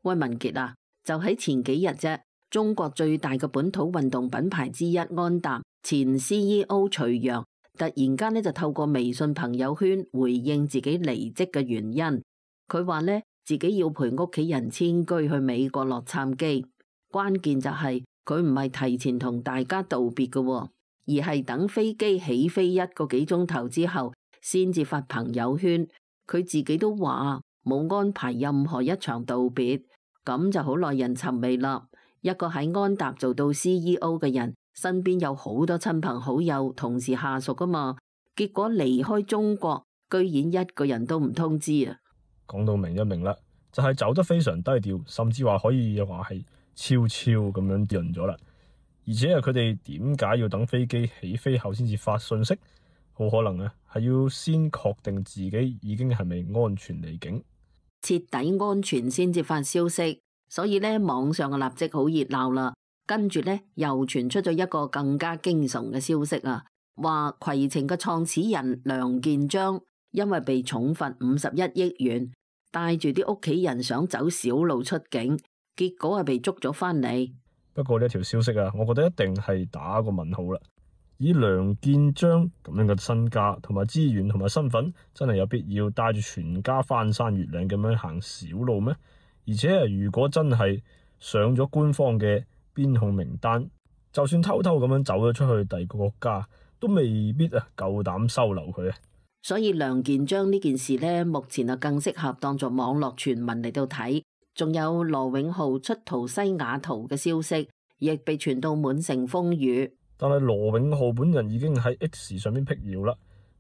威文傑啊，就喺前幾日啫，中國最大嘅本土運動品牌之一安踏前 CEO 徐陽突然間就透過微信朋友圈回應自己離職嘅原因。佢話呢，自己要陪屋企人遷居去美國洛杉磯，關鍵就係佢唔係提前同大家道別嘅，而係等飛機起飛1個幾鐘頭之後先至發朋友圈。佢自己都話冇安排任何一場道別，咁就好耐人尋味啦。一個喺安踏做到 CEO 嘅人，身邊有好多親朋好友、同事下屬噶嘛，結果離開中國，居然一個人都唔通知啊！講到明一明啦，就係走得非常低調，甚至話可以話係悄悄咁樣潤咗啦。而且佢哋點解要等飛機起飛後先至發信息？好可能係要先確定自己已經係咪安全離境，徹底安全先至發消息。所以呢，網上嘅立即好熱鬧啦。跟住呢，又傳出咗一個更加驚悚嘅消息啊，話攜程嘅創始人梁建章因為被重罰51億元，帶住啲屋企人想走小路出境，結果係被捉咗返嚟。不過呢條消息我覺得一定係打個問號啦。以梁建章咁樣嘅身家同埋資源同埋身份，真係有必要帶住全家翻山越嶺咁樣行小路咩？而且如果真係上咗官方嘅邊控名單，就算偷偷咁樣走咗出去第二個國家，都未必夠膽收留佢。所以梁建章呢件事呢，目前更適合當作網絡傳聞嚟到睇。仲有羅永浩出逃西雅圖嘅消息，亦被傳到滿城風雨。但係羅永浩本人已經喺 X 上面辟謠啦，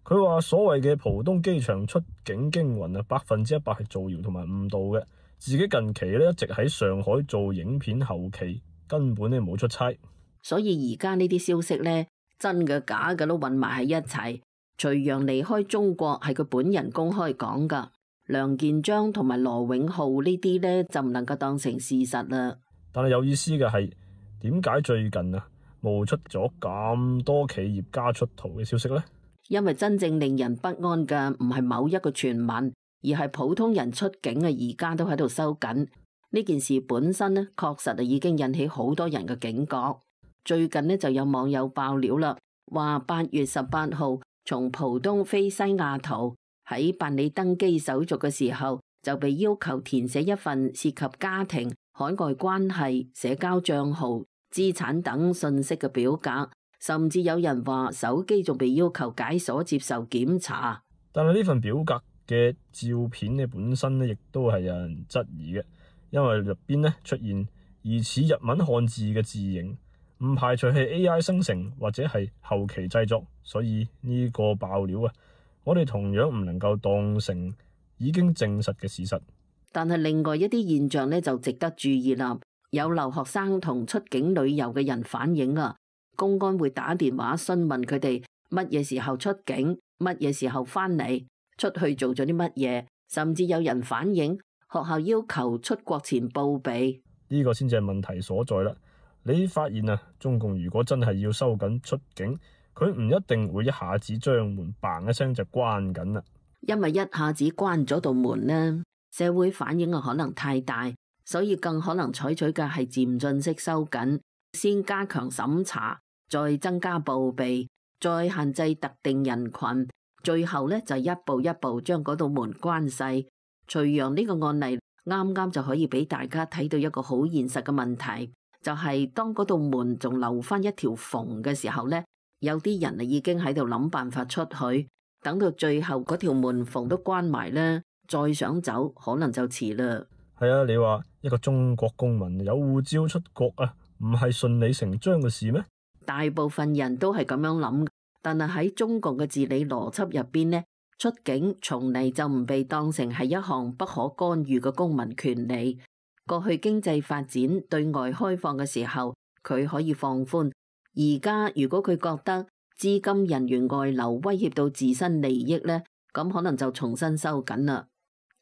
佢話所謂嘅浦東機場出境驚魂100%係造謠同埋誤導嘅。自己近期一直喺上海做影片後期，根本冇出差。所以而家呢啲消息呢，真嘅假嘅都混埋喺一齊。徐陽離開中國係佢本人公開講噶，梁建章同埋羅永浩呢啲呢，就唔能夠當成事實啦。但係有意思嘅係，點解最近冒出咗咁多企業家出逃嘅消息呢？因為真正令人不安嘅唔係某一個傳聞，而係普通人出境而家都喺度收緊。呢件事本身呢，確實已經引起好多人嘅警覺。最近呢，就有網友爆料啦，話8月18號從浦東飛西雅圖，喺辦理登機手續嘅時候就被要求填寫一份涉及家庭、海外關係、社交賬號、資產等信息嘅表格，甚至有人話手機仲被要求解鎖接受檢查。但係呢份表格嘅照片本身亦都係有人質疑嘅，因為入邊出現疑似日文漢字嘅字形，唔排除係 AI 生成或者係後期製作，所以呢個爆料我哋同樣唔能夠當成已經證實嘅事實。但係另外一啲現象就值得注意啦。有留學生同出境旅遊嘅人反映公安會打電話詢問佢哋乜嘢時候出境，乜嘢時候返嚟，出去做咗啲乜嘢，甚至有人反映學校要求出國前報備。呢個先至係問題所在啦。你發現中共如果真係要收緊出境，佢唔一定會一下子將門嘭一聲就關緊啦。因為一下子關咗道門呢，社會反應可能太大，所以更可能採取嘅係漸進式收緊，先加強審查，再增加報備，再限制特定人群，最後呢就一步一步將嗰道門關細。徐陽呢個案例啱啱就可以俾大家睇到一個好現實嘅問題，就係當嗰道門仲留翻一條縫嘅時候呢，有啲人已經喺度諗辦法出去，等到最後嗰條門縫都關埋呢，再想走可能就遲啦。係你話一個中國公民有護照出國唔係順理成章嘅事咩？大部分人都係咁樣諗，但係喺中國嘅治理邏輯入邊呢，出境從嚟就唔被當成係一項不可干預嘅公民權利。過去經濟發展對外開放嘅時候，佢可以放寬。而家如果佢覺得資金人員外流威脅到自身利益呢，咁可能就重新收緊啦。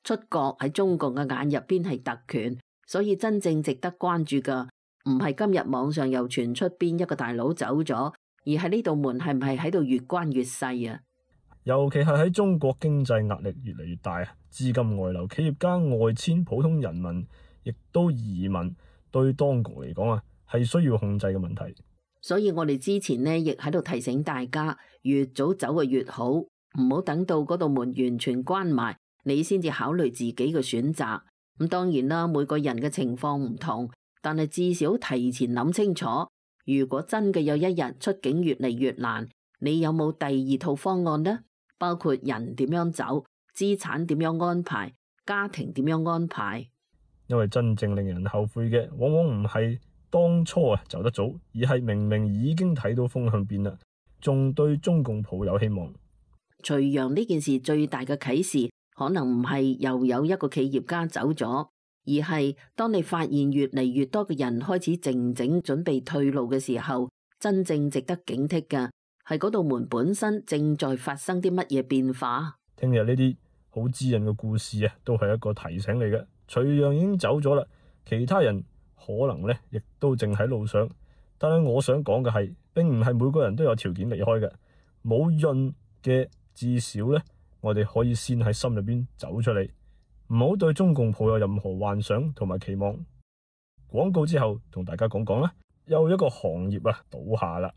出國喺中國嘅眼入邊係特權，所以真正值得關注嘅唔係今日網上又傳出邊一個大佬走咗，而係呢道門係唔係喺度越關越細啊？尤其係喺中國經濟壓力越嚟越大，資金外流、企業家外遷、普通人民亦都移民對當局嚟講係需要控制嘅問題。所以我哋之前呢亦喺度提醒大家，越早走嘅越好，唔好等到嗰道門完全關埋，你先至考慮自己嘅選擇。咁當然啦，每個人嘅情況唔同，但係至少提前諗清楚，如果真嘅有一日出境越嚟越難，你有冇第二套方案呢？包括人點樣走，資產點樣安排，家庭點樣安排。因為真正令人後悔嘅，往往唔係當初走得早，而係明明已經睇到風向變啦，仲對中共抱有希望。徐陽呢件事最大嘅啟示，可能唔係又有一個企業家走咗，而係當你發現越嚟越多嘅人開始靜靜準備退路嘅時候，真正值得警惕嘅係嗰道門本身正在發生啲乜嘢變化。聽日呢啲好滋潤嘅故事都係一個提醒嚟嘅。徐陽已經走咗啦，其他人可能亦都正喺路上。但係我想講嘅係，並唔係每個人都有條件離開嘅。冇潤嘅，至少我哋可以先喺心入邊走出嚟，唔好對中共抱有任何幻想同埋期望。廣告之後同大家講講啦，又一個行業倒下啦。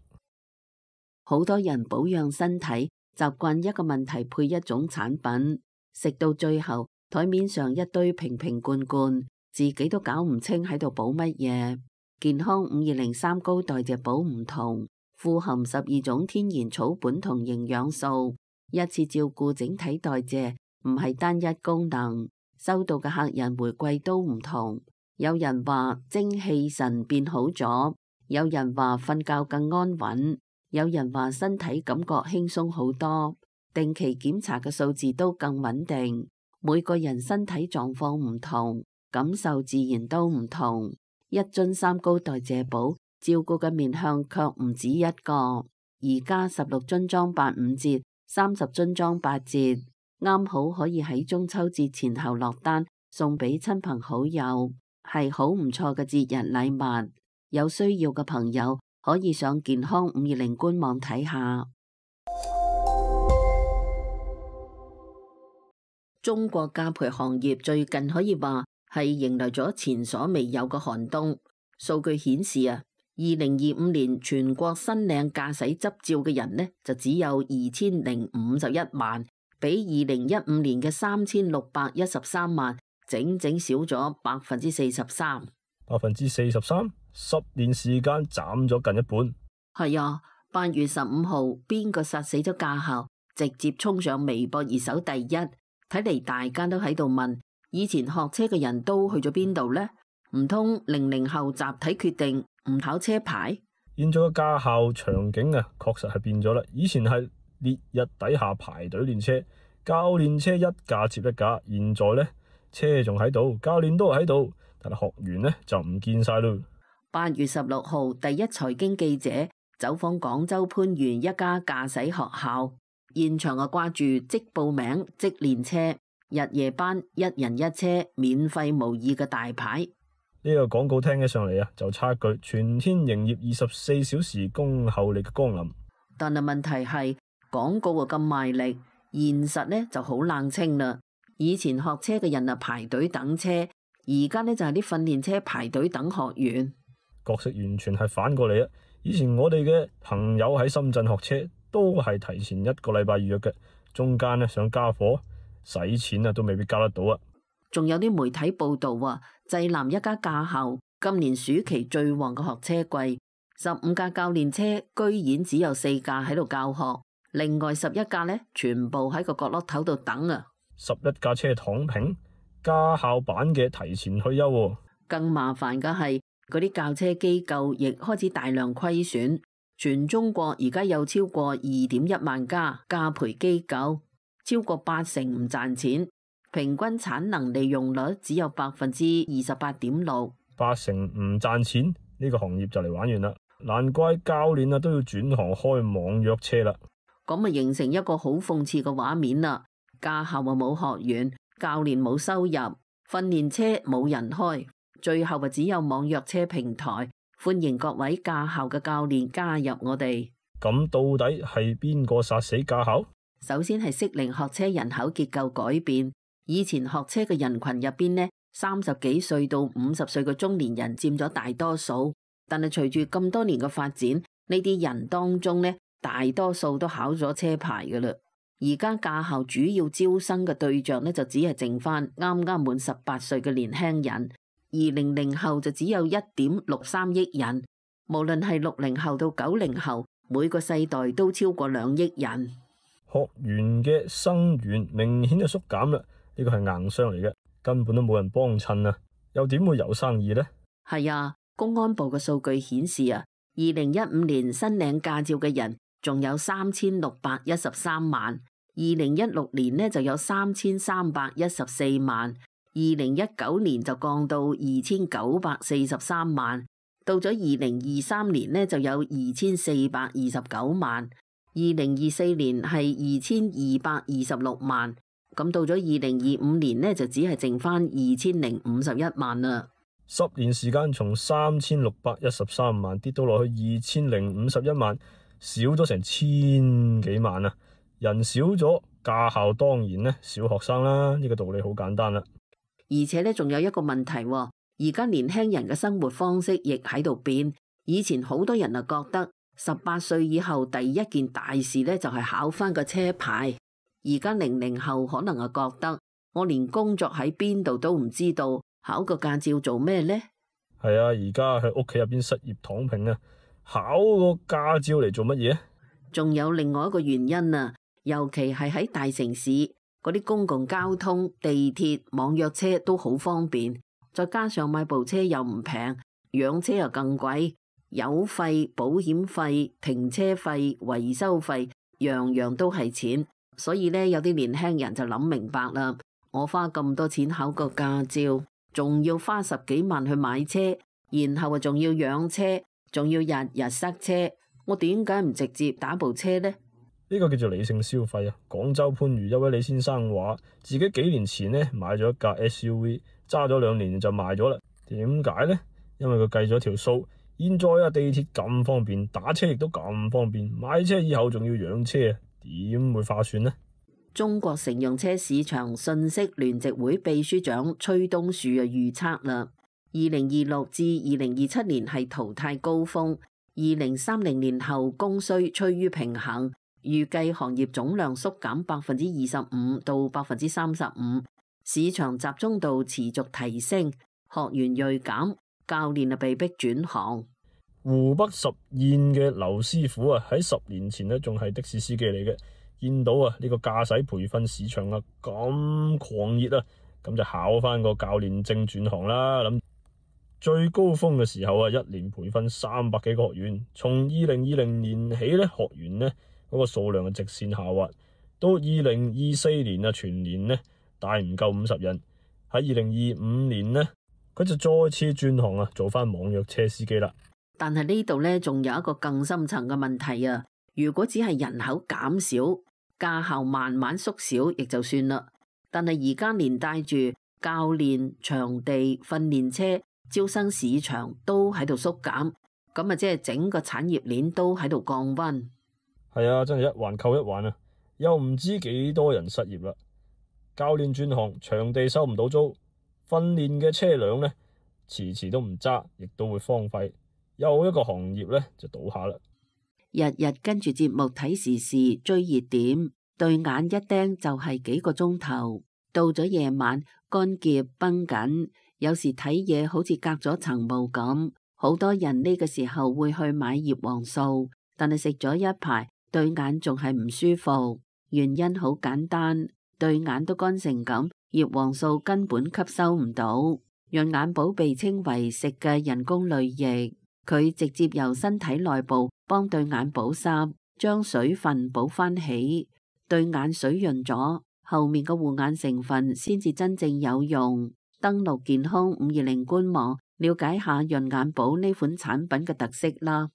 好多人保養身體，習慣一個問題配一種產品，食到最後台面上一堆瓶瓶罐罐，自己都搞唔清喺度補乜嘢。健康5203高代謝寶唔同，富含12種天然草本同營養素，一次照顧整體代謝，唔係單一功能。收到嘅客人回饋都唔同，有人話精氣神變好咗，有人話瞓覺更安穩，有人話身體感覺輕鬆好多，定期檢查嘅數字都更穩定。每個人身體狀況唔同，感受自然都唔同。一樽3高代謝寶照顧嘅面向卻唔止一個，而家16樽裝85折，30樽裝8折，啱好可以喺中秋節前後落單，送俾親朋好友，係好唔錯嘅節日禮物。有需要嘅朋友可以上健康520官網睇下。中國價培行業最近可以話係迎來咗前所未有嘅寒冬。數據顯示2025年全國申領駕駛執照嘅人就只有2051萬，比2015年嘅3613萬整整少咗43%。43%，10年時間斬咗近一半。係啊，8月15號，邊個殺死咗駕校？直接衝上微博熱搜第一。睇嚟大家都喺度問，以前學車嘅人都去咗邊度呢？唔通00後集體決定唔考車牌？現在嘅駕校場景確實係變咗啦。以前係烈日底下排隊練車，教練車一架接一架。現在車仲喺度，教練都喺度，但係學員就唔見晒咯。8月16號，第一財經記者走訪廣州番禺一家駕駛學校，現場掛住即報名即練車，日夜班一人一車，免費模擬嘅大牌。呢個廣告聽起上嚟就差句全天營業24小時恭候你嘅光臨。但係問題係廣告咁賣力，現實就好冷清啦。以前學車嘅人排隊等車，而家就係啲訓練車排隊等學員。角色完全係反過嚟啊！以前我哋嘅朋友喺深圳學車都係提前1個禮拜預約嘅，中間想加貨使錢都未必加得到啊！仲有啲媒體報道濟南一家駕校今年暑期最旺嘅學車季，15架教練車居然只有4架喺度教學，另外11架全部喺個角落頭度等啊！11架車躺平，駕校版嘅提前退休。更麻煩嘅係嗰啲教車機構亦開始大量虧損，全中國而家有超過2.1萬家駕培機構，超過80%唔賺錢。平均產能利用率只有28.6%，80%唔賺錢，呢個行業就嚟玩完啦。難怪教練都要轉行開網約車啦。咁形成一個好諷刺嘅畫面啦。駕校冇學員，教練冇收入，訓練車冇人開，最後只有網約車平台。歡迎各位駕校嘅教練加入我哋。咁到底係邊個殺死駕校？首先係適齡學車人口結構改變。以前學車嘅人群入邊30幾歲到50歲嘅中年人佔咗大多數。但係隨住咁多年嘅發展，呢啲人當中呢，大多數都考咗車牌㗎喇。而家駕校主要招生嘅對象呢，就只係剩翻啱啱滿18歲嘅年輕人，而00後就只有1.63億人。無論係60後到90後，每個世代都超過2億人。學園嘅生源明顯就縮減啦，呢個係硬傷嚟嘅，根本都冇人幫襯啊，又點會有生意呢？係啊。公安部嘅數據顯示啊，2015年申領駕照嘅人仲有3613萬，2016年呢就有3314萬，2019年就降到2943萬，到咗2023年呢就有2429萬，2024年係2226萬，咁到咗2025年呢就只係剩翻2051萬啦。10年時間從3613萬跌到落去2051萬，少咗成1000幾萬啊！人少咗，駕校當然呢少學生啦，呢個道理好簡單啦。而且呢仲有一個問題，而家年輕人嘅生活方式亦喺度變。以前好多人啊覺得18歲以後第一件大事呢就係考翻個車牌，而家00後可能啊覺得我連工作喺邊度都唔知道。考個駕照做咩呢？係啊，而家喺屋企入邊失業躺平啊，考個駕照嚟做乜嘢？仲有另外一個原因啊，尤其係喺大城市嗰啲公共交通、地鐵、網約車都好方便，再加上買部車又唔平，養車又更貴，油費、保險費、停車費、維修費，樣樣都係錢。所以呢，有啲年輕人就諗明白啦，我花咁多錢考個駕照，仲要花10幾萬去買車，然後仲要養車，仲要日日塞車，我點解唔直接打部車呢？呢個叫做理性消費啊！廣州番禺一位李先生話，自己幾年前呢買咗一架 SUV，揸咗2年就賣咗啦。點解呢？因為佢計咗條數，現在啊地鐵咁方便，打車亦都咁方便，買車以後仲要養車，點會划算呢？中國乘用車市場信息聯席會秘書長崔東樹預測啦，2026至2027年係淘汰高峰，2030年後供需趨於平衡，預計行業總量縮減25%到35%，市場集中度持續提升，學員銳減，教練被逼轉行。湖北十堰嘅劉師傅啊，喺10年前呢仲係的士司機嚟嘅。見到啊呢個駕駛培訓市場啊咁狂熱啊，咁就考翻個教練證轉行啦。諗最高峰嘅時候啊，一年培訓300幾個學員，從2020年起咧，學員呢嗰個數量直線下滑，到2024年啊全年呢大唔夠50人。喺2025年呢，佢就再次轉行啊，做翻網約車司機啦。但係呢度呢，仲有一個更深層嘅問題啊！如果只係人口減少，駕校慢慢縮小，亦就算啦。但係而家連帶住教練、場地、訓練車、招生市場都喺度縮減，咁啊，即係整個產業鏈都喺度降溫。係啊，真係一環扣一環啊！又唔知幾多人失業啦。教練轉行，場地收唔到租，訓練嘅車輛呢，遲遲都唔揸，亦都會荒廢。又一個行業呢，就倒下啦。日日跟住節目睇時事追熱點，對眼一盯就係幾個鐘頭。到咗夜晚，乾澀繃緊，有時睇嘢好似隔咗層霧咁。好多人呢個時候會去買葉黃素，但係食咗一排，對眼仲係唔舒服。原因好簡單，對眼都乾成咁，葉黃素根本吸收唔到。潤眼寶被稱為食嘅人工淚液。佢直接由身體內部幫對眼保濕，將水分補翻起，對眼水潤咗，後面嘅護眼成分先至真正有用。登錄健康520官網，了解下潤眼寶呢款產品嘅特色啦。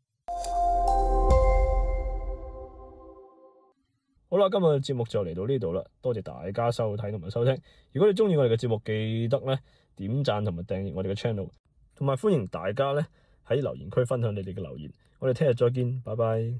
好啦，今日嘅節目就嚟到呢度啦，多謝大家收睇同埋收聽。如果你中意我哋嘅節目，記得咧點讚同埋訂閱我哋嘅 channel， 同埋歡迎大家咧喺留言區分享你哋嘅留言。我哋聽日再見，拜拜。